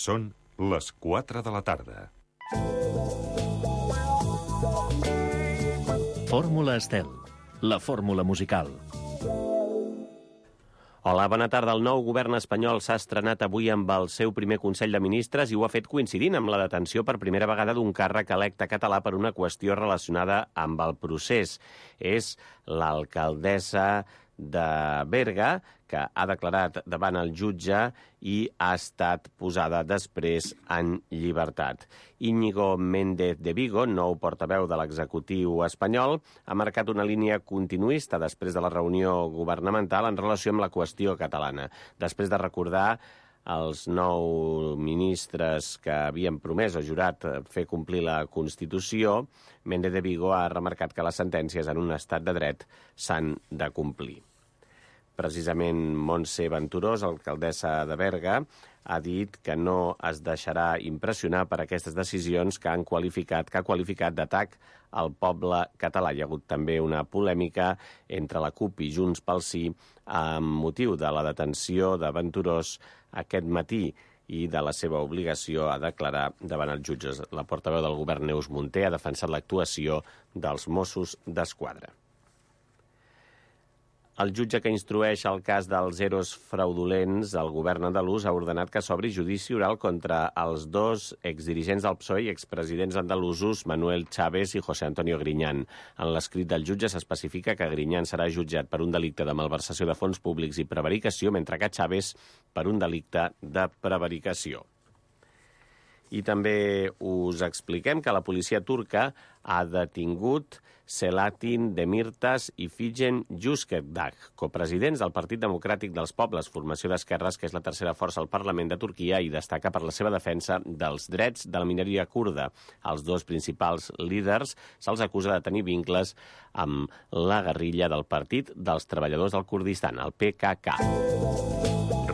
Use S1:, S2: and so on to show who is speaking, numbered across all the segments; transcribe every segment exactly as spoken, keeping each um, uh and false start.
S1: Són les quatre de la tarda.
S2: Fórmula Estel, la fórmula musical.
S3: Hola, bona tarda. El nou govern espanyol s'ha estrenat avui amb el seu primer Consell de Ministres i ho ha fet coincidint amb la detenció per primera vegada d'un càrrec electe català per una qüestió relacionada amb el procés. És l'alcaldessa de Berga, que ha declarat davant el jutge i ha estat posada després en llibertat. Íñigo Méndez de Vigo, nou portaveu de l'executiu espanyol, ha marcat una línia continuista després de la reunió governamental en relació amb la qüestió catalana. Després de recordar els nou ministres que havien promès o jurat fer complir la Constitució, Méndez de Vigo ha remarcat que les sentències en un estat de dret s'han de complir. Precisament Montse Venturós, alcaldessa de Berga, ha dit que no es deixarà impressionar per aquestes decisions que han qualificat, que ha qualificat d'atac al poble català. Hi ha hagut també una polèmica entre la CUP i Junts pel Sí amb motiu de la detenció de Venturós aquest matí i de la seva obligació a declarar davant els jutges. La portaveu del govern, Neus Munté, ha defensat l'actuació dels Mossos d'Esquadra. El jutge que instrueix el cas dels eros fraudulents, el govern andalús, ha ordenat que s'obri judici oral contra els dos exdirigents del P S O E i expresidents andalusos Manuel Chávez i José Antonio Griñán. En l'escrit del jutge s'especifica que Griñán serà jutjat per un delicte de malversació de fons públics i prevaricació, mentre que Chávez per un delicte de prevaricació. I també us expliquem que la policia turca ha detingut Selahattin Demirtas i Figen Yüksekdag, copresidents del Partit Democràtic dels Pobles, formació d'esquerres que és la tercera força al Parlament de Turquia i destaca per la seva defensa dels drets de la minoria kurda. Els dos principals líders se'ls acusa de tenir vincles amb la guerrilla del Partit dels Treballadors del Kurdistan, el P K K.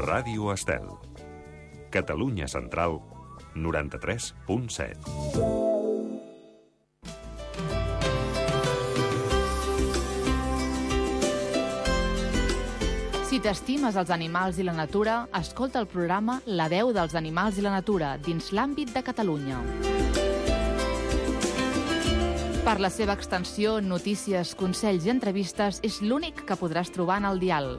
S1: Ràdio Estel. Catalunya Central, noranta-tres punt set.
S4: Si t'estimes els animals i la natura, escolta el programa La veu dels animals i la natura dins l'àmbit de Catalunya. Per la seva extensió, notícies, consells i entrevistes, és l'únic que podràs trobar en el dial.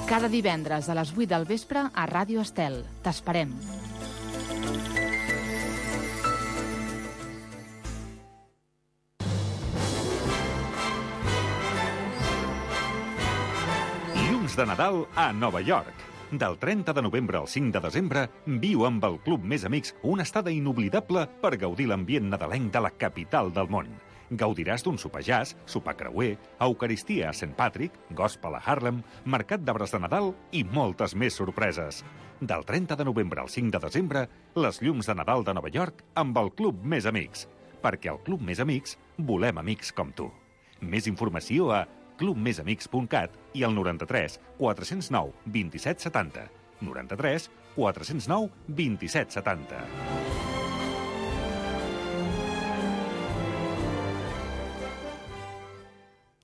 S4: Cada divendres a les vuit del vespre a Ràdio Estel. T'esperem.
S1: Llums de Nadal a Nova York. Del trenta de novembre al cinc de desembre, viu amb el Club Més Amics una estada inoblidable per gaudir l'ambient nadalenc de la capital del món. Gaudiràs d'un sopar jazz, sopar creuer, eucaristia a Saint Patrick, gospel a Harlem, mercat d'arbres de Nadal i moltes més sorpreses. Del trenta de novembre al cinc de desembre, les llums de Nadal de Nova York amb el Club Més Amics. Perquè al Club Més Amics volem amics com tu. Més informació a club més amics punt cat i al noranta-tres quatre zero nou vint-i-set setanta. noranta-tres quatre zero nou vint-i-set setanta.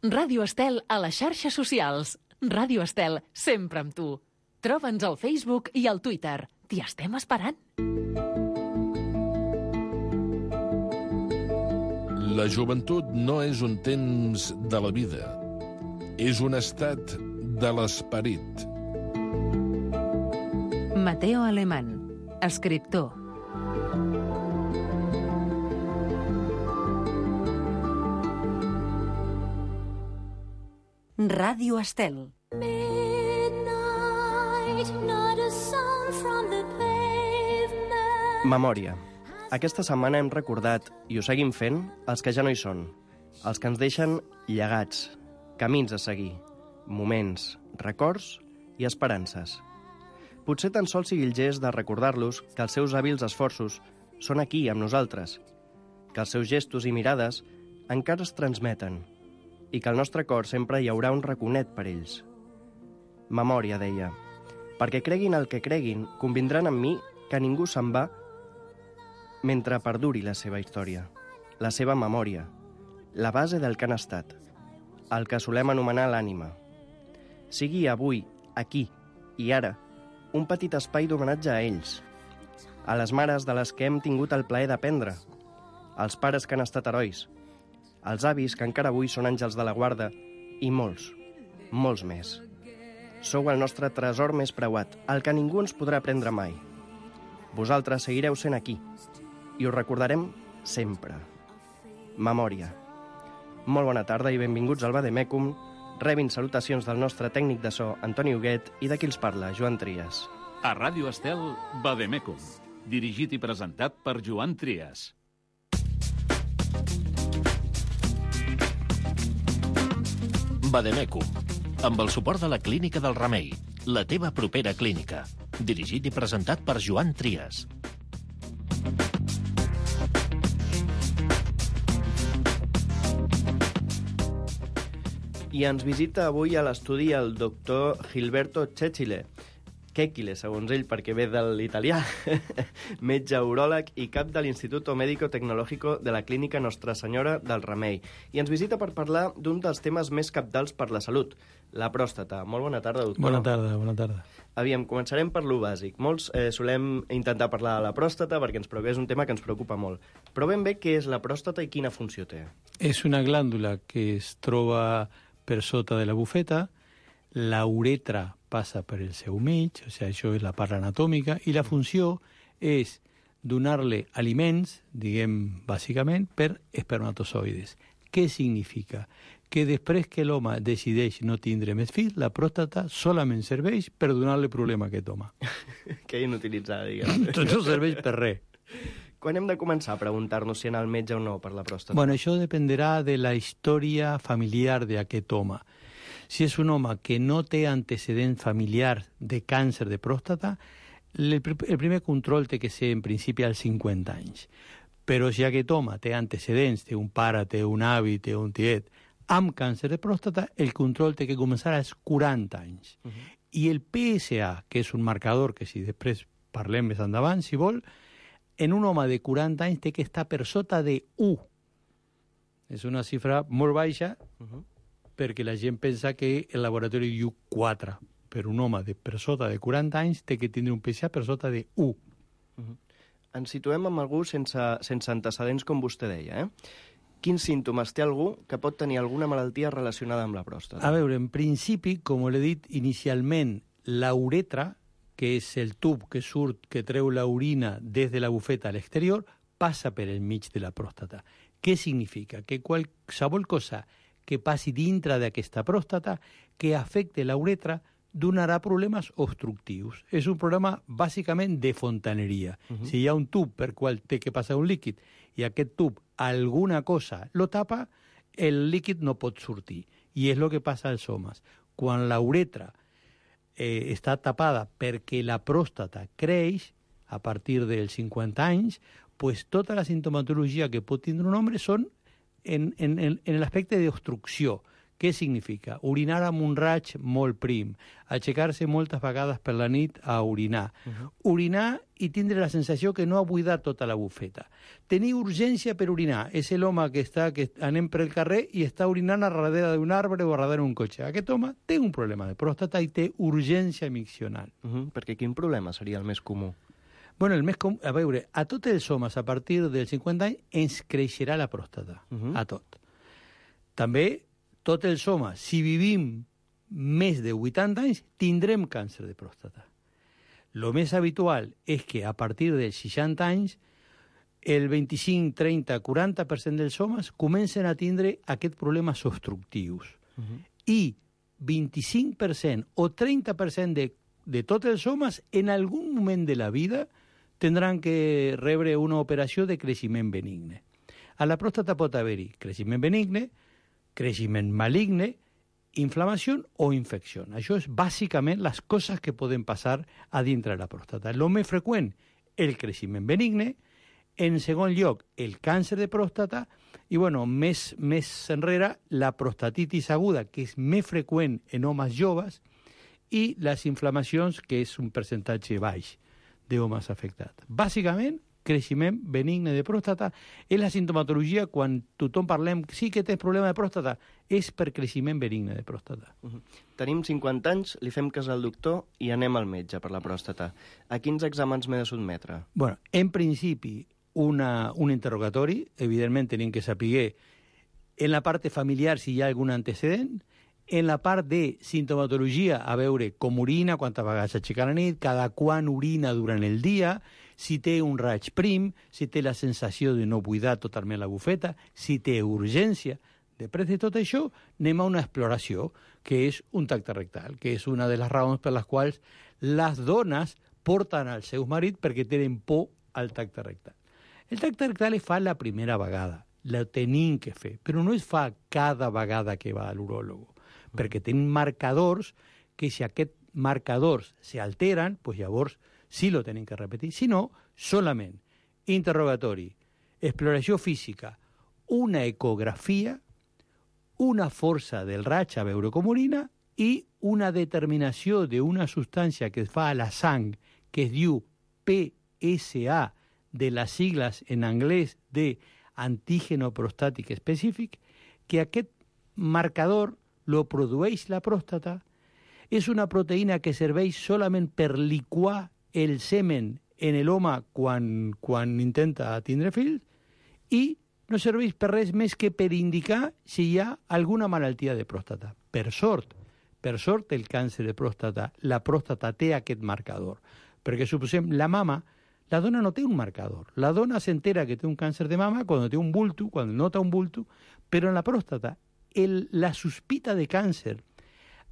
S5: Ràdio Estel a les xarxes socials. Ràdio Estel, sempre amb tu. Troba'ns al Facebook i al Twitter. T'hi estem esperant.
S6: La joventut no és un temps de la vida. És un estat de l'esperit.
S7: Mateo Alemán, escriptor. Ràdio Estel.
S8: Memòria. Aquesta setmana hem recordat, i ho seguim fent, els que ja no hi són. Els que ens deixen llegats, camins a seguir, moments, records i esperances. Potser tan sols sigui el gest de recordar-los que els seus hàbils esforços són aquí amb nosaltres, que els seus gestos i mirades encara es transmeten i que al nostre cor sempre hi haurà un raconet per ells. Memòria, deia, perquè creguin el que creguin, convindran amb mi que ningú se'n va mentre perduri la seva història, la seva memòria, la base del que han estat, el que solem anomenar l'ànima. Sigui avui, aquí, I ara, un petit espai d'homenatge a ells, a les mares de les que hem tingut el plaer d'aprendre, als pares que han estat herois, als avis que encara avui són àngels de la guarda i molts, molts més. Sou el nostre tresor més preuat, el que ningú ens podrà prendre mai. Vosaltres seguireu sent aquí i us recordarem sempre. Memòria. Molt bona tarda i benvinguts al Vademecum. Rebin salutacions del nostre tècnic de so, Antoni Huguet, i de qui els parla, Joan Trias.
S9: A Ràdio Estel, Vademecum, dirigit i presentat per Joan Trias.
S2: Vademecum, amb el suport de la Clínica del Remei, la teva propera clínica. Dirigit i presentat per Joan Trias.
S8: I ens visita avui a l'estudi el doctor Gilberto Cecchile, Cecchile, segons ell, perquè ve de l'italià, metge uròleg i cap de l'Instituto Médico Tecnológico de la Clínica Nostra Senyora del Remei. I ens visita per parlar d'un dels temes més cabdals per la salut, la pròstata. Molt bona tarda, doctor.
S10: Bona tarda, bona tarda.
S8: Aviam, començarem per lo bàsic. Molts eh, solem intentar parlar de la pròstata perquè ens preocupa, és un tema que ens preocupa molt. Però ben bé què és la pròstata i quina funció té?
S10: És una glàndula que es troba per sota de la bufeta, la uretra passa per el seu mig, o sigui, això és la part anatòmica, i la funció és donar-li aliments, diguem, bàsicament, per espermatozoides. Què significa? Que després que l'home decideix no tindre més fills, la pròstata solament serveix per donar-li el problema que toma.
S8: Que inutilitzada, diguem.
S10: Tot no serveix per res.
S8: Quan hem de començar a preguntar-nos si anar al metge o no per la pròstata?
S10: Bueno, això dependerà de la història familiar d'aquest home. Si és un home que no té antecedent familiar de càncer de pròstata, el, el primer control té que ser en principi als cinquanta anys. Però si aquest home té antecedents, té un pare, té un avi, té un tiet, amb càncer de pròstata, el control té que començar als quaranta anys. Uh -huh. I el P S A, que és un marcador que si després parlem més endavant, si vol, en un home de quaranta anys té que estar per sota de u. És una xifra molt baixa, uh -huh. perquè la gent pensa que el laboratori diu quatre, però un home de per sota de quaranta anys té que tindre un P S A per sota de u.
S8: Uh -huh. Ens situem amb algú sense, sense antecedents, com vostè deia, eh? Quins símptomes té algú que pot tenir alguna malaltia relacionada amb la pròstata?
S10: A veure, en principi, com l'he dit inicialment, la uretra, que és el tub que surt, que treu l'orina des de la bufeta a l'exterior, passa per el mig de la pròstata. Què significa? Que qualsevol cosa que passi dintre d'aquesta pròstata que afecte la uretra donarà problemes obstructius. És un problema bàsicament de fontaneria. Uh-huh. Si hi ha un tub per qual té que passar un líquid i aquest tub alguna cosa lo tapa, el líquid no pot sortir. I és el que passa als homes. Quan la uretra eh, està tapada perquè la pròstata creix a partir dels cinquanta anys, pues tota la sintomatologia que pot tindre un home són en, en, en l'aspecte d'obstrucció. Què significa? Orinar amb un raig molt prim, aixecar-se moltes vegades per la nit a orinar, uh-huh. orinar i tindre la sensació que no ha buidat tota la bufeta. Tenir urgència per orinar és l'home que està que anem per el carrer i està orinant a darrere d'un arbre o a darrere d'un cotxe. Aquest home té un problema de pròstata i té urgència miccional.
S8: Uh-huh. Perquè quin problema seria el més comú?
S10: Bueno, el més com... A veure, a tots els homes a partir dels cinquanta anys ens creixerà la pròstata, uh-huh. a tot. També tots els homes, si vivim més de vuitanta anys, tindrem càncer de pròstata. Lo més habitual és que a partir dels seixanta anys el vint-i-cinc, trenta, quaranta per cent dels homes comencen a tindre aquests problemes obstructius. Uh-huh. I vint-i-cinc per cent o trenta per cent de, de tots els homes en algun moment de la vida tindran que rebre una operació de creixement benigne. A la pròstata pot haver-hi creixement benigne, creixement maligne, inflamació o infecció. Això és bàsicament les coses que poden passar a dintre de la pròstata. El més freqüent, el creixement benigne, en segon lloc, el càncer de pròstata, i bueno, més, més enrere, la prostatitis aguda, que és més freqüent en homes joves, i les inflamacions, que és un percentatge baix d'homes afectats. Bàsicament, creixement benigne de pròstata. És la sintomatologia quan tothom parlem, sí que tens problema de pròstata, és per creixement benigne de pròstata.
S8: Uh -huh. Tenim cinquanta anys, li fem cas al doctor i anem al metge per la pròstata. A quins exàmens m'he de sotmetre?
S10: Bueno, en principi, una, un interrogatori, evidentment tenim que saber en la part familiar si hi ha algun antecedent, en la part de sintomatologia, a veure com urina, quantes vegades aixeca la nit, cada quan urina durant el dia, si té un raig prim, si té la sensació de no buidar totalment la bufeta, si té urgència. Després de tot això, anem a una exploració, que és un tacte rectal, que és una de les raons per les quals les dones porten als seus marits perquè tenen por al tacte rectal. El tacte rectal es fa la primera vegada, la tenim que fer, però no es fa cada vegada que va a l'uròlogo, perquè tenen marcadors que si aquests marcadors s'alteren, doncs llavors sí lo tenen que repetir. Si no, solament interrogatori, exploració física, una ecografia, una força del raig a veure com urina i una determinació d'una substància que es fa a la sang que es diu P S A, de les sigles en anglès de antígeno prostàtic específic, que aquest marcador lo produeix la pròstata, és una proteïna que serveix solament per liquar el semen en l'home quan, quan intenta tindre fills i no serveix per res més que per indicar si hi ha alguna malaltia de pròstata. Per sort, per sort el càncer de pròstata, la pròstata té aquest marcador, perquè suposem la mama, la dona no té un marcador. La dona s'entera que té un càncer de mama quan té un bulto, quan nota un bulto, però en la pròstata el, la sospita de càncer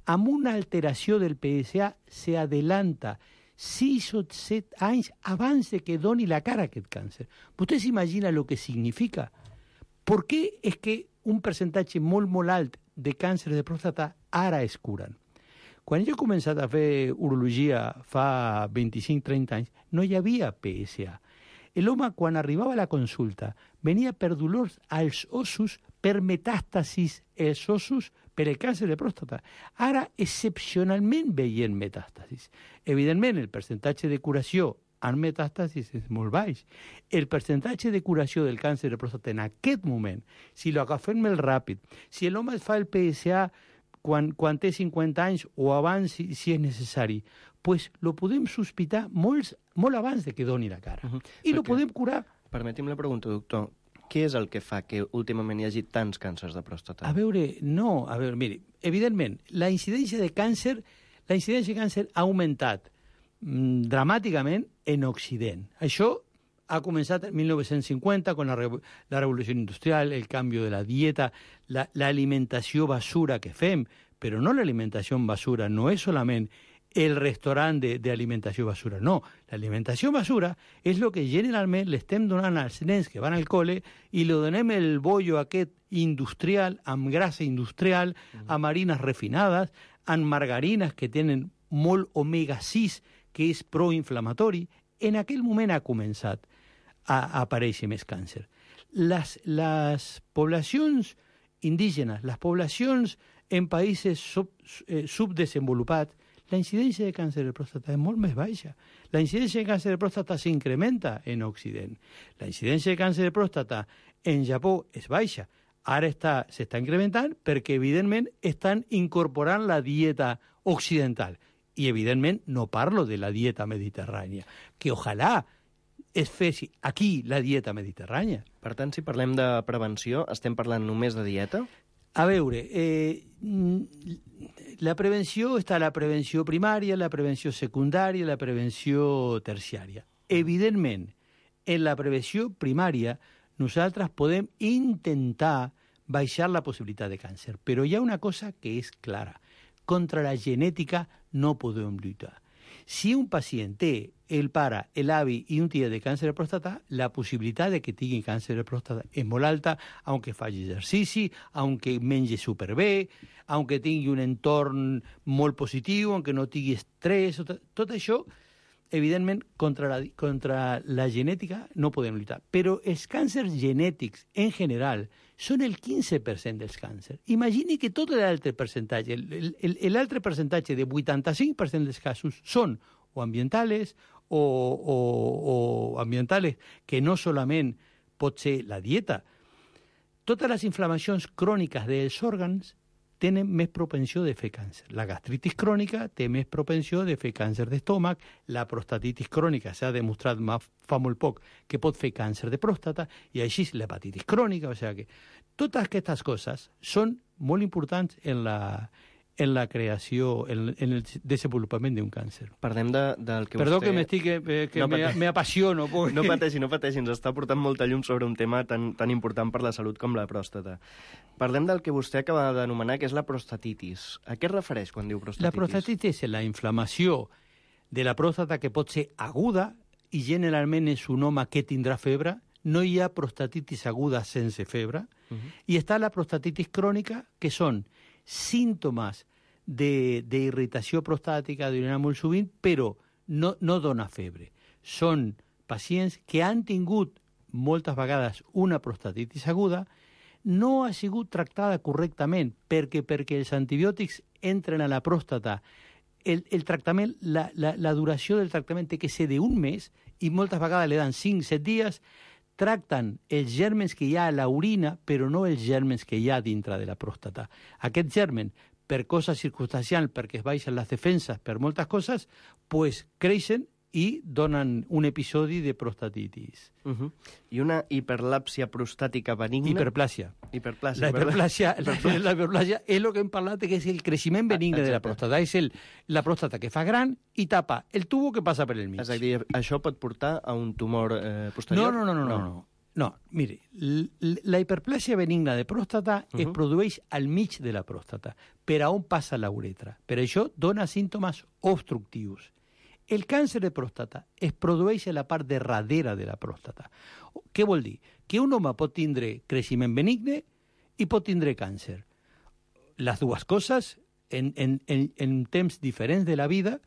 S10: amb una alteració del P S A s'adelanta sis o set anys abans de que doni la cara aquest càncer. Vostè s'imagina el que significa? Per què és que un percentatge molt, molt alt de càncer de pròstata ara es curen? Quan jo he començat a fer urologia fa vint-i-cinc trenta anys, no hi havia P S A. L'home, quan arribava a la consulta, venia per dolors als ossos, per metàstasis als ossos, per el càncer de pròstata. Ara, excepcionalment, veiem metàstasis. Evidentment, el percentatge de curació en metàstasis és molt baix. El percentatge de curació del càncer de pròstata en aquest moment, si lo agafem molt ràpid, si l'home fa el P S A quan, quan té cinquanta anys o abans, si, si és necessari, pues lo podem sospitar molt, molt abans de que doni la cara. Uh-huh. I lo podem curar.
S8: Permeti'm la pregunta, doctor. Què és el que fa que últimament hi hagi tants càncers de pròstata?
S10: A veure, no, a veure, miri, evidentment, la incidència de càncer, la incidència de càncer ha augmentat mm, dramàticament en Occident. Això ha començat en mil nou-cents cinquanta con la, la revolució industrial, el canvi de la dieta, l'alimentació la, basura que fem, però no l'alimentació basura, no és solament el restaurant d'alimentació basura. No, l'alimentació basura és el que generalment l'estem donant als nens que van al col·le i li donem el bollo aquest industrial, amb grassa industrial, mm. amb harines refinades, amb margarines que tenen molt omega sis, que és proinflamatori. En aquell moment ha començat a, a aparèixer més càncer. Les, les poblacions indígenes, les poblacions en països sub, eh, subdesenvolupats, la incidència de càncer de pròstata és molt més baixa. La incidència de càncer de pròstata s'incrementa en Occident. La incidència de càncer de pròstata en Japó és baixa. Ara s'està incrementant perquè, evidentment, estan incorporant la dieta occidental. I, evidentment, no parlo de la dieta mediterrània, que ojalà es fessi aquí la dieta mediterrània.
S8: Per tant, si parlem de prevenció, estem parlant només de dieta?
S10: A veure, eh, la prevenció està la prevenció primària, la prevenció secundària, la prevenció terciària. Evidentment, en la prevenció primària nosaltres podem intentar baixar la possibilitat de càncer, però hi ha una cosa que és clara. Contra la genètica no podem lluitar. Si un pacient té el pare, l'avi i un tia de càncer de pròstata, la possibilitat de que tingui càncer de pròstata és molt alta, aunque faci exercici, aunque mengi superbé, aunque tingui un entorn molt positiu, aunque no tingui estrès, tot, tot això, evidentment, contra la, contra la genètica no podem lluitar. Però els càncers genètics, en general, són el quinze per cent dels càncers. Imagini que tot l'altre percentatge, l'altre percentatge de vuitanta-cinc per cent dels casos són o ambientales, o, o, o ambientales que no solament pot ser la dieta. Totes les inflamacions cròniques dels òrgans tenen més propensió de fer càncer. La gastritis crònica té més propensió de fer càncer d'estómac, la prostatitis crònica s'ha demostrat fa molt poc que pot fer càncer de pròstata, i així l'hepatitis crònica. O sigui que totes aquestes coses són molt importants en la, en la creació, en, en el desenvolupament d'un càncer.
S8: Parlem de, del que
S10: Perdó
S8: vostè...
S10: que m'estic, eh, que
S8: no
S10: me, me apassiono. Porque...
S8: No pateixi, no pateixi, ens està portant molta llum sobre un tema tan, tan important per la salut com la pròstata. Parlem del que vostè acaba d'anomenar, que és la prostatitis. A què es refereix quan diu prostatitis?
S10: La prostatitis és la inflamació de la pròstata que pot ser aguda i generalment és un home que tindrà febre. No hi ha prostatitis aguda sense febre. Uh -huh. I està la prostatitis crònica, que són símptomes d'irritació prostàtica, d'orinar molt sovint, però no, no dona febre. Són pacients que han tingut moltes vegades una prostatitis aguda, no ha sigut tractada correctament, perquè perquè els antibiòtics entren a la pròstata. El, el tractament, la, la, la duració del tractament té que ser d'un mes, i moltes vegades le dan cinc set dies, tracten els gèrmens que hi ha a l'orina, però no els gèrmens que hi ha dintre de la pròstata. Aquests gèrmens, per coses circumstancials, perquè es baixen les defenses, per moltes coses, pues creixen i donen un episodi de prostatitis.
S8: Uh -huh. I una hiperlàpsia prostàtica benigna...
S10: Hiperplàsia.
S8: Hiperplàsia,
S10: la hiperplàsia, la, la hiperplàsia és el que hem parlat, que és el creixement benigne ah, de la pròstata. És el, la pròstata que fa gran i tapa el tubo que passa per el mig.
S8: És a dir, això pot portar a un tumor eh, posterior?
S10: No, no, no, no, no. no. No, mire, la hiperplàsia benigna de pròstata uh -huh. es produeix al mig de la pròstata, per a on passa la uretra. Per això dona símptomes obstructius. El càncer de pròstata es produeix a la part de darrere de la pròstata. Què vol dir? Que un home pot tindre creixement benigne i pot tindre càncer. Les dues coses, en, en, en, en temps diferents de la vida,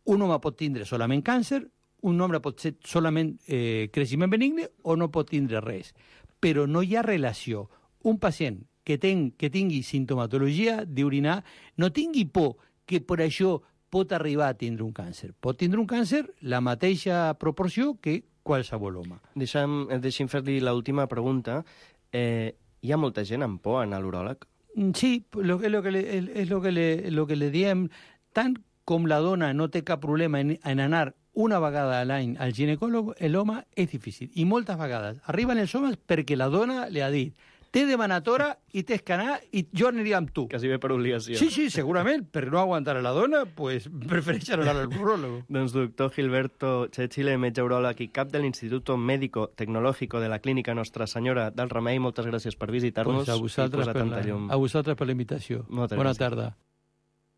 S10: un home pot tindre solament càncer, un home pot ser solament eh, creixement benigne o no pot tindre res. Però no hi ha relació. Un pacient que, ten, que tingui sintomatologia d'orinar no tingui por que per això pot arribar a tindre un càncer. Pot tindre un càncer la mateixa proporció que qualsevol home.
S8: Deixa'm, deixa'm fer-li l'última pregunta. Eh, hi ha molta gent amb por a anar a l'uròleg?
S10: Sí, lo, lo que le, és el que, le, lo que le diem. Tant com la dona no té cap problema en, en anar una vegada a l'any al ginecòleg, l'home és difícil. I moltes vegades arriben els homes perquè la dona li ha dit té demanatora i tens que anar i jo aniria amb tu.
S8: Quasi bé per obligació.
S10: Sí, sí, segurament, per no aguantar a la dona, pues prefereix anar al uròleg.
S8: Doncs doctor Gilberto Chechile, metge uròleg i cap de l'Instituto Médico Tecnológico de la Clínica Nostra Senyora del Remei, moltes gràcies per visitar-nos
S10: pues a vosaltres
S8: i posar tanta llum.
S10: A vosaltres per la invitació.
S8: Moltes
S10: Bona
S8: gràcies.
S10: tarda.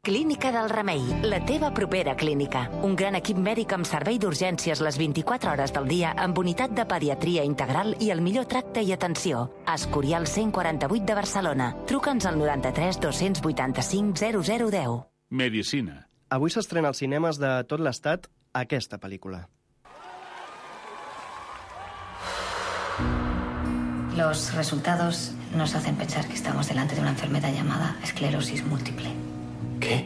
S11: Clínica del Remei, la teva propera clínica. Un gran equip mèdic amb servei d'urgències les vint-i-quatre hores del dia, amb unitat de pediatria integral i el millor tracte i atenció. Escorial cent quaranta-vuit de Barcelona. Truca'ns al noranta-tres dos-cents vuitanta-cinc zero zero deu.
S9: Medicina.
S8: Avui s'estrena als cinemes de tot l'estat aquesta pel·lícula.
S12: Los resultados nos hacen pensar que estamos delante de una enfermedad llamada esclerosis múltiple.
S8: Què?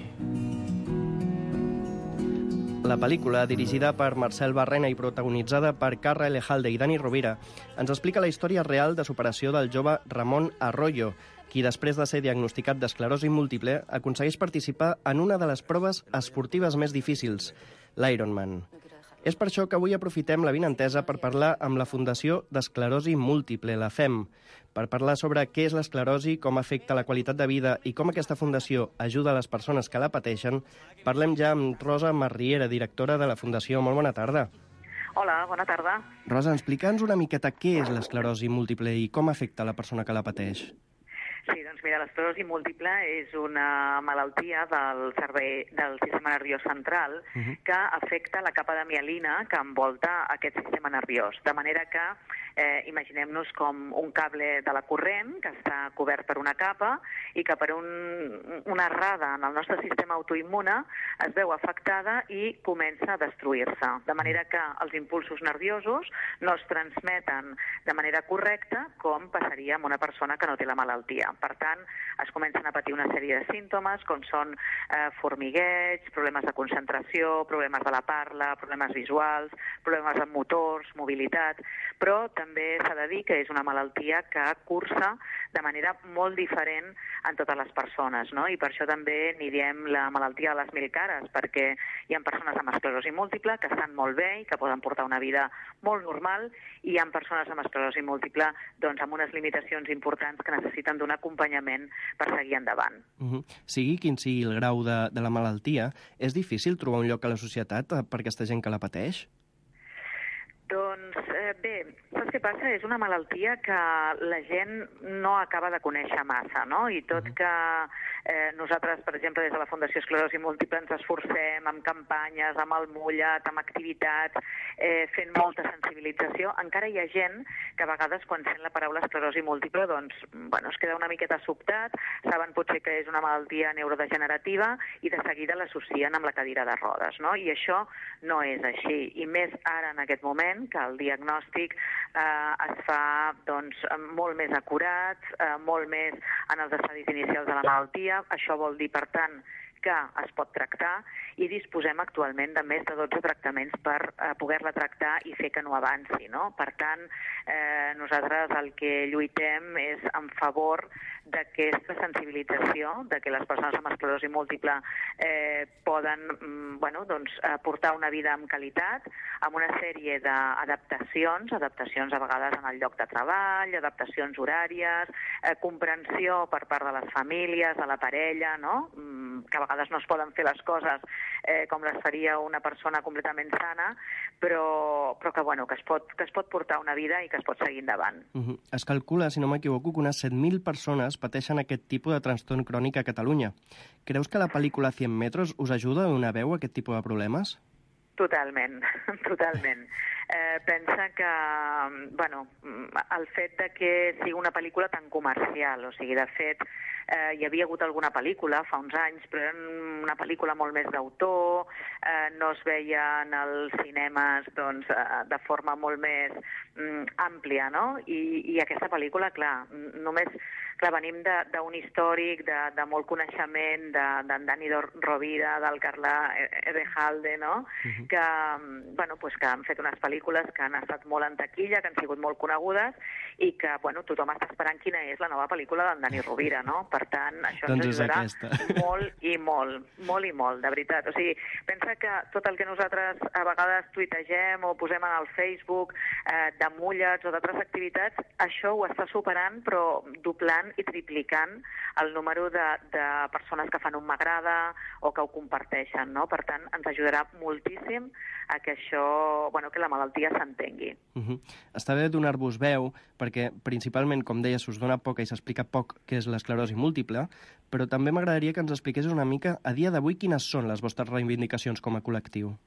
S8: La pel·lícula, dirigida per Marcel Barrena i protagonitzada per Carra Elejalde i Dani Rovira, ens explica la història real de superació del jove Ramon Arroyo, qui després de ser diagnosticat d'esclerosi múltiple aconsegueix participar en una de les proves esportives més difícils, l'Ironman. És per això que avui aprofitem la vinentesa per parlar amb la Fundació d'Esclerosi Múltiple, la F E M, per parlar sobre què és l'esclerosi, com afecta la qualitat de vida i com aquesta fundació ajuda a les persones que la pateixen. Parlem ja amb Rosa Marriera, directora de la Fundació. Molt bona tarda.
S13: Hola, bona tarda.
S8: Rosa, explica'ns una miqueta què és l'esclerosi múltiple i com afecta la persona que la pateix.
S13: Sí, doncs mira, l'esclerosi múltiple és una malaltia del cervell, del sistema nerviós central uh-huh. que afecta la capa de mielina que envolta aquest sistema nerviós, de manera que Eh, imaginem-nos com un cable de la corrent que està cobert per una capa i que per un, una errada en el nostre sistema autoimmune es veu afectada i comença a destruir-se. De manera que els impulsos nerviosos no es transmeten de manera correcta com passaria amb una persona que no té la malaltia. Per tant, es comencen a patir una sèrie de símptomes com són eh, formigueig, problemes de concentració, problemes de la parla, problemes visuals, problemes amb motors, mobilitat, però també s'ha de dir que és una malaltia que cursa de manera molt diferent en totes les persones, no? I per això també n'hi diem la malaltia de les mil cares, perquè hi ha persones amb esclerosi múltiple que estan molt bé i que poden portar una vida molt normal, i hi ha persones amb esclerosi múltiple doncs, amb unes limitacions importants que necessiten d'un acompanyament per seguir endavant.
S8: Uh-huh. Sigui quin sigui el grau de, de la malaltia, és difícil trobar un lloc a la societat per aquesta gent que la pateix?
S13: Doncs eh, bé, saps què passa? És una malaltia que la gent no acaba de conèixer massa, no? I tot que eh, nosaltres, per exemple, des de la Fundació Esclerosi Múltiple ens esforcem amb campanyes, amb el mullat, amb activitats, eh, fent molta sensibilització, encara hi ha gent que a vegades quan sent la paraula esclerosi múltiple doncs, bueno, es queda una miqueta sobtat, saben potser que és una malaltia neurodegenerativa i de seguida l'associen amb la cadira de rodes, no? I això no és així. I més ara en aquest moment que el diagnòstic eh, es fa doncs, molt més acurat, eh, molt més en els estadis inicials de la malaltia. Això vol dir, per tant, que es pot tractar i disposem actualment de més de dotze tractaments per eh, poder-la tractar i fer que no avanci, no? Per tant, eh, nosaltres el que lluitem és en favor d'aquesta sensibilització, de que les persones amb esclerosi múltiple eh, poden mm, bueno, doncs, portar una vida amb qualitat, amb una sèrie d'adaptacions, adaptacions a vegades en el lloc de treball, adaptacions horàries, eh, comprensió per part de les famílies, de la parella, no? Mm, que a vegades no es poden fer les coses eh, com les faria una persona completament sana, però, però que, bueno, que, es pot, que es pot portar una vida i que es pot seguir endavant.
S8: Uh-huh. Es calcula, si no m'equivoco, que unes set mil persones pateixen aquest tipus de trastorn crònic a Catalunya. Creus que la pel·lícula cent metros us ajuda a donar veu a aquest tipus de problemes?
S13: Totalment, totalment. Eh, pensa que, bueno, el fet de que sigui una pel·lícula tan comercial, o sigui, de fet, eh, hi havia hagut alguna pel·lícula fa uns anys, però era una pel·lícula molt més d'autor, eh, no es veia en els cinemes doncs, eh, de forma molt més mm, àmplia, no? I, i aquesta pel·lícula, clar, només clar, venim d'un històric de, de molt coneixement d'en de, Dani Rovira, del Carla Ebejalde, no? Uh-huh. que, bueno, pues que han fet unes pel·lícules que han estat molt en taquilla, que han sigut molt conegudes i que bueno, tothom està esperant quina és la nova pel·lícula d'en Dani Rovira, no? Per tant, això
S8: doncs
S13: ens ajudarà molt i molt, molt i molt, de veritat. O sigui, pensa que tot el que nosaltres a vegades tuitegem o posem en el Facebook eh, de mullets o d'altres activitats, això ho està superant, però doblant i triplicant el número de, de persones que fan un m'agrada o que ho comparteixen, no? Per tant, ens ajudarà moltíssim a que això, bueno, que la malaltia s'entengui.
S8: Uh-huh. Està bé donar-vos veu, perquè principalment, com deia, s'us dona poca i s'explica poc què és l'esclerosi múltiple, però també m'agradaria que ens expliqués una mica, a dia d'avui, quines són les vostres reivindicacions com a col·lectiu?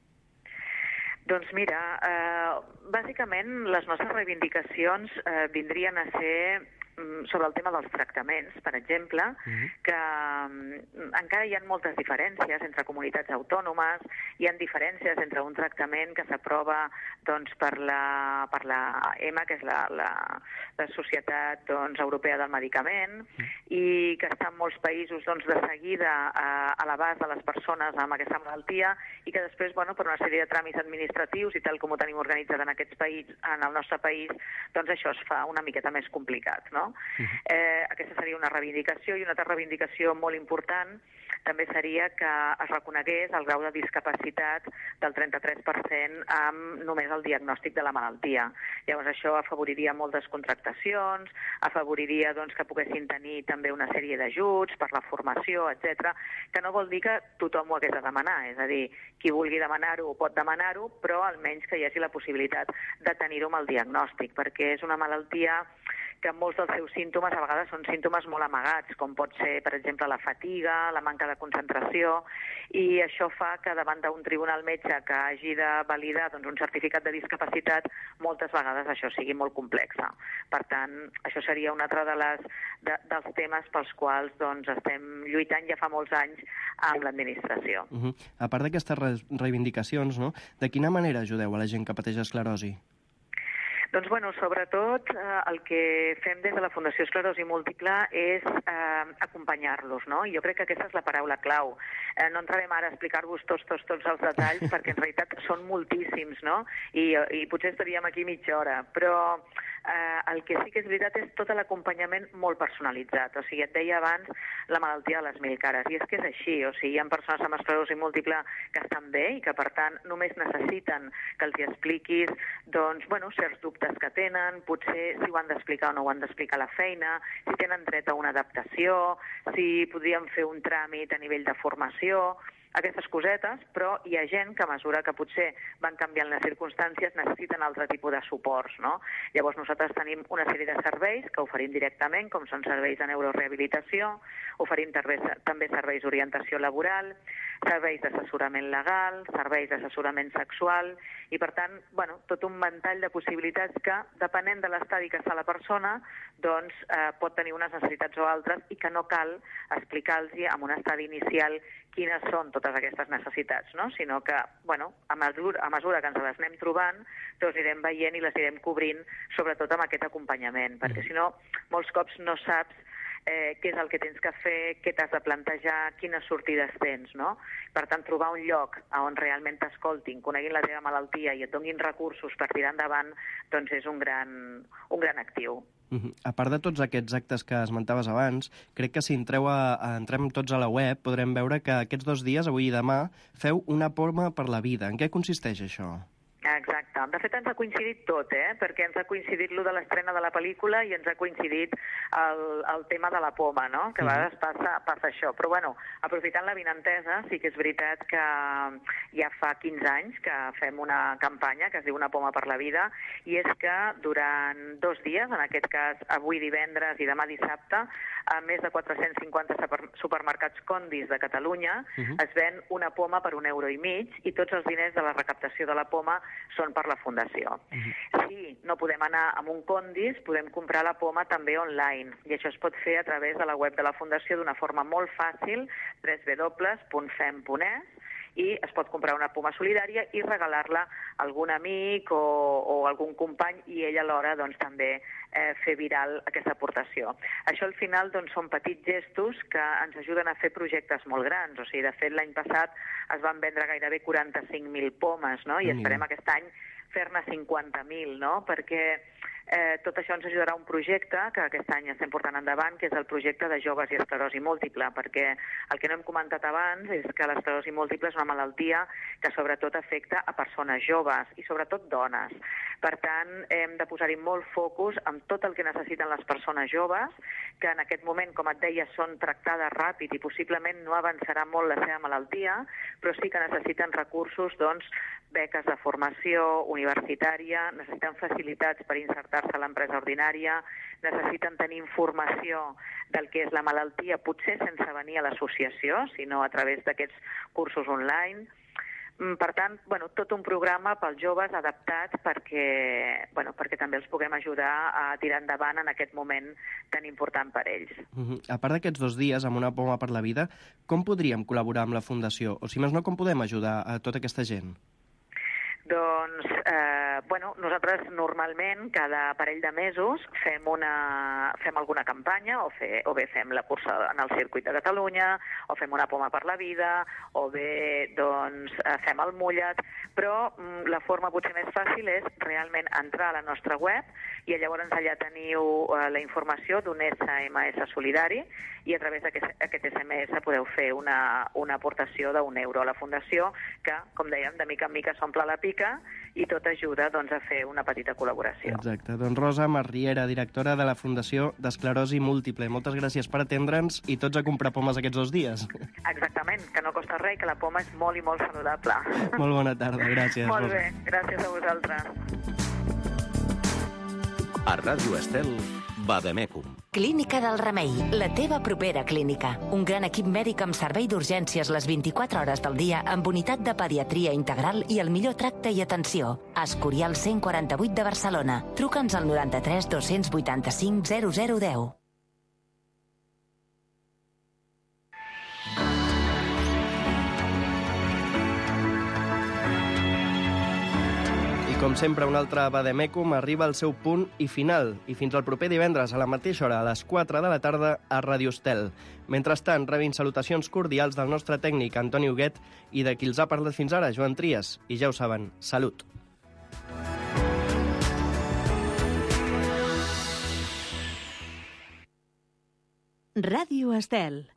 S13: Doncs mira, eh, bàsicament les nostres reivindicacions eh, vindrien a ser sobre el tema dels tractaments, per exemple, uh-huh. que um, encara hi ha moltes diferències entre comunitats autònomes, hi ha diferències entre un tractament que s'aprova doncs, per la, per la E M A, que és la, la, la Societat doncs, Europea del Medicament, uh-huh. i que està en molts països doncs, de seguida a, a l'abast de les persones amb aquesta malaltia i que després, bueno, per una sèrie de tràmits administratius i tal com ho tenim organitzat en aquests països, en el nostre país, doncs això es fa una miqueta més complicat, no? Uh-huh. Eh, aquesta seria una reivindicació i una altra reivindicació molt important també seria que es reconegués el grau de discapacitat del trenta-tres per cent amb només el diagnòstic de la malaltia. Llavors això afavoriria moltes contractacions, afavoriria doncs, que poguessin tenir també una sèrie d'ajuts per la formació, etcètera, que no vol dir que tothom ho hagués de demanar, és a dir, qui vulgui demanar-ho pot demanar-ho, però almenys que hi hagi la possibilitat de tenir-ho amb el diagnòstic, perquè és una malaltia que molts dels seus símptomes a vegades són símptomes molt amagats, com pot ser, per exemple, la fatiga, la manca de concentració, i això fa que davant d'un tribunal metge que hagi de validar doncs, un certificat de discapacitat, moltes vegades això sigui molt complexa. Per tant, això seria un altre de les, de, dels temes pels quals doncs, estem lluitant ja fa molts anys amb l'administració.
S8: Uh-huh. A part d'aquestes re reivindicacions, no? De quina manera ajudeu a la gent que pateix esclerosi?
S13: Doncs, bueno, sobretot eh, el que fem des de la Fundació Esclerosi Múltiple és eh, acompanyar-los, no? I jo crec que aquesta és la paraula clau. Eh, no entrarem ara a explicar-vos tots, tots, tots els detalls, perquè en realitat són moltíssims, no? I, i potser estaríem aquí mitja hora, però eh, el que sí que és veritat és tot l'acompanyament molt personalitzat. O sigui, et deia abans la malaltia de les mil cares, i és que és així. O sigui, hi ha persones amb esclerosi múltiple que estan bé i que, per tant, només necessiten que els hi expliquis, doncs, bueno, certs dubtes que tenen, potser si ho han d'explicar o no ho han d'explicar a la feina, si tenen dret a una adaptació, si podrien fer un tràmit a nivell de formació, aquestes cosetes, però hi ha gent que a mesura que potser van canviant les circumstàncies necessiten altre tipus de suports, no? Llavors nosaltres tenim una sèrie de serveis que oferim directament, com són serveis de neurorehabilitació, oferim també serveis d'orientació laboral, serveis d'assessorament legal, serveis d'assessorament sexual, i per tant, bueno, tot un ventall de possibilitats que, depenent de l'estadi que està la persona, doncs eh, pot tenir unes necessitats o altres i que no cal explicar-los en un estadi inicial quines són totes aquestes necessitats, no? Sinó que, bueno, a mesura, a mesura que ens les anem trobant, doncs anirem veient i les anirem cobrint, sobretot amb aquest acompanyament, perquè si no, molts cops no saps eh, què és el que tens que fer, què t'has de plantejar, quines sortides tens, no? Per tant, trobar un lloc on realment t'escoltin, coneguin la teva malaltia i et donin recursos per tirar endavant, doncs és un gran, un gran actiu.
S8: Uh-huh. A part de tots aquests actes que esmentaves abans, crec que si entreu a, a, entrem tots a la web podrem veure que aquests dos dies, avui i demà, feu una poma per la vida. En què consisteix això?
S13: Exacte. De fet, ens ha coincidit tot, eh? Perquè ens ha coincidit lo de l'estrena de la pel·lícula i ens ha coincidit el, el tema de la poma, no? Que a vegades passa, passa això. Però, bueno, aprofitant la vinentesa, sí que és veritat que ja fa quinze anys que fem una campanya que es diu Una poma per la vida, i és que durant dos dies, en aquest cas avui divendres i demà dissabte, a més de quatre-cents cinquanta supermercats Condis de Catalunya, uh-huh. es ven una poma per un euro i mig, i tots els diners de la recaptació de la poma són per la Fundació. Uh-huh. Si no podem anar a un Condis, podem comprar la poma també online, i això es pot fer a través de la web de la Fundació d'una forma molt fàcil, w w w punt fem punt e s, i es pot comprar una poma solidària i regalar-la a algun amic o, o algun company, i ell alhora doncs, també eh, fer viral aquesta aportació. Això al final doncs, són petits gestos que ens ajuden a fer projectes molt grans. O sigui, de fet, l'any passat es van vendre gairebé quaranta-cinc mil pomes, no? I esperem aquest any fer-ne cinquanta mil, no? Perquè eh, tot això ens ajudarà a un projecte que aquest any estem portant endavant, que és el projecte de joves i esclerosi múltiple, perquè el que no hem comentat abans és que l'esclerosi múltiple és una malaltia que sobretot afecta a persones joves i sobretot dones. Per tant, hem de posar-hi molt focus en tot el que necessiten les persones joves, que en aquest moment, com et deia, són tractades ràpid i possiblement no avançarà molt la seva malaltia, però sí que necessiten recursos, doncs, beques de formació universitària, necessiten facilitats per insertar-se a l'empresa ordinària, necessiten tenir informació del que és la malaltia, potser sense venir a l'associació, sinó a través d'aquests cursos online. Per tant, bueno, tot un programa pels joves adaptat perquè, bueno, perquè també els puguem ajudar a tirar endavant en aquest moment tan important per ells.
S8: Uh-huh. A part d'aquests dos dies, amb una poma per la vida, com podríem col·laborar amb la Fundació? O si més no, com podem ajudar a tota aquesta gent?
S13: Doncs, eh, bueno, nosaltres normalment cada parell de mesos fem, una, fem alguna campanya, o, fe, o bé fem la cursa en el circuit de Catalunya, o fem una poma per la vida, o bé doncs, fem el mullet, però mm, la forma potser més fàcil és realment entrar a la nostra web, i llavors allà teniu eh, la informació d'un S M S solidari, i a través d'aquest S M S podeu fer una, una aportació d'un euro a la Fundació, que, com dèiem, de mica en mica s'omple la pica, i tot ajuda doncs, a fer una petita col·laboració.
S8: Exacte. Doncs Rosa Marriera, directora de la Fundació d'Esclerosi Múltiple. Moltes gràcies per atendre'ns i tots a comprar pomes aquests dos dies.
S13: Exactament, que no costa res, que la poma és molt i molt saludable.
S8: Molt bona tarda, gràcies.
S13: Molt bé, gràcies a vosaltres.
S2: A Ràdio Estel,
S3: Vademecum.
S11: Clínica del Remei, la teva propera clínica. Un gran equip mèdic amb servei d'urgències les vint-i-quatre hores del dia amb unitat de pediatria integral i el millor tracte i atenció. Escorial cent quaranta-vuit de Barcelona. Truca'ns al noranta-tres dos-cents vuitanta-cinc zero zero deu.
S8: Com sempre, un altre Vademecum arriba al seu punt i final. I fins al proper divendres, a la mateixa hora, a les quatre de la tarda, a Ràdio Estel. Mentrestant, rebin salutacions cordials del nostre tècnic, Antoni Huguet, i de qui els ha parlat fins ara, Joan Trias. I ja ho saben, salut!
S7: Ràdio Estel.